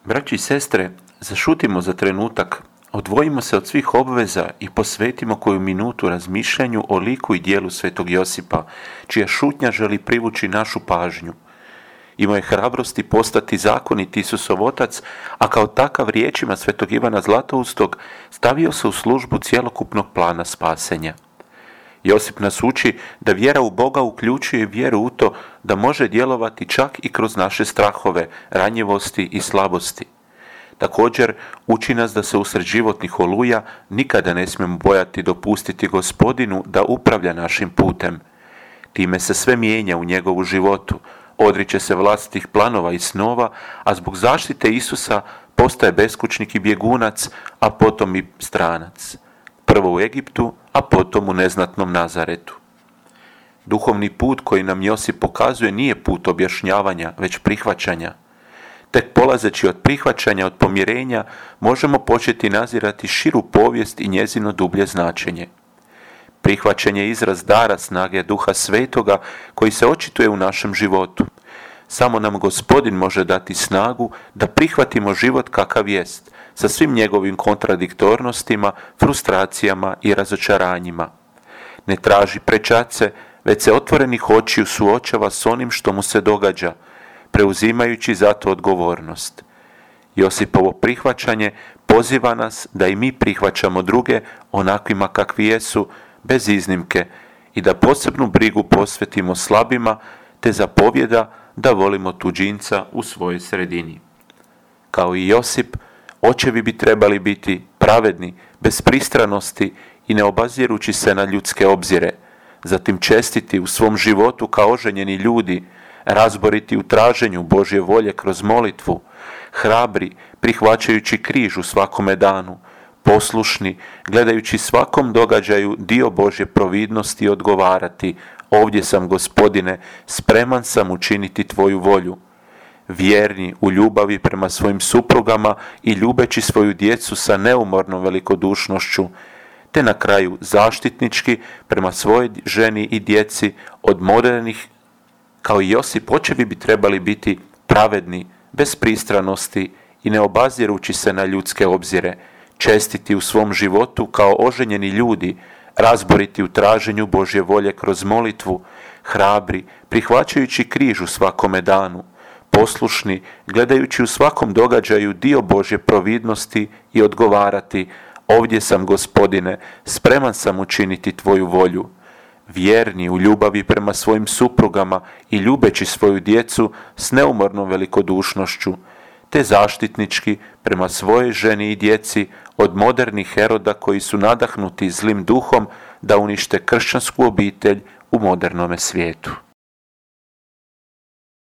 Braći i sestre, zašutimo za trenutak, odvojimo se od svih obveza i posvetimo koju minutu razmišljanju o liku i djelu svetog Josipa, čija šutnja želi privući našu pažnju. Imao je hrabrosti postati zakonit Isusov otac, a kao takav riječima svetog Ivana Zlatoustog stavio se u službu cjelokupnog plana spasenja. Josip nas uči da vjera u Boga uključuje vjeru u to da može djelovati čak i kroz naše strahove, ranjivosti i slabosti. Također, uči nas da se usred životnih oluja nikada ne smijemo bojati dopustiti Gospodinu da upravlja našim putem. Time se sve mijenja u njegovu životu, odriče se vlastitih planova i snova, a zbog zaštite Isusa postaje beskućnik i bjegunac, a potom i stranac. Prvo u Egiptu, a potom u neznatnom Nazaretu. Duhovni put koji nam Josip pokazuje nije put objašnjavanja, već prihvaćanja. Tek polazeći od prihvaćanja, od pomirenja, možemo početi nazirati širu povijest i njezino dublje značenje. Prihvaćanje je izraz dara snage Duha Svetoga koji se očituje u našem životu. Samo nam Gospodin može dati snagu da prihvatimo život kakav jest, sa svim njegovim kontradiktornostima, frustracijama i razočaranjima. Ne traži prečace, već se otvorenih očiju suočava s onim što mu se događa, preuzimajući zato odgovornost. Josipovo prihvaćanje poziva nas da i mi prihvaćamo druge onakvima kakvi jesu, bez iznimke, i da posebnu brigu posvetimo slabima, te zapovjeda da volimo tuđinca u svojoj sredini. Kao i Josip, očevi bi trebali biti pravedni, bez pristranosti i ne obazirući se na ljudske obzire, zatim čestiti u svom životu kao oženjeni ljudi, razboriti u traženju Božje volje kroz molitvu, hrabri prihvaćajući križ u svakome danu, poslušni gledajući svakom događaju dio Božje providnosti i odgovarati: ovdje sam, Gospodine, spreman sam učiniti tvoju volju. Vjerni u ljubavi prema svojim suprugama i ljubeći svoju djecu sa neumornom velikodušnošću, te na kraju zaštitnički prema svojoj ženi i djeci od modernih. Kao i Josip, očevi bi trebali biti pravedni, bez pristranosti i ne obazirući se na ljudske obzire, čestiti u svom životu kao oženjeni ljudi, razboriti u traženju Božje volje kroz molitvu, hrabri prihvaćajući križ u svakome danu, poslušni gledajući u svakom događaju dio Božje providnosti i odgovarati: ovdje sam, Gospodine, spreman sam učiniti tvoju volju. Vjerni u ljubavi prema svojim suprugama i ljubeći svoju djecu s neumornom velikodušnošću, te zaštitnički prema svojoj ženi i djeci od modernih Heroda koji su nadahnuti zlim duhom da unište kršćansku obitelj u modernome svijetu.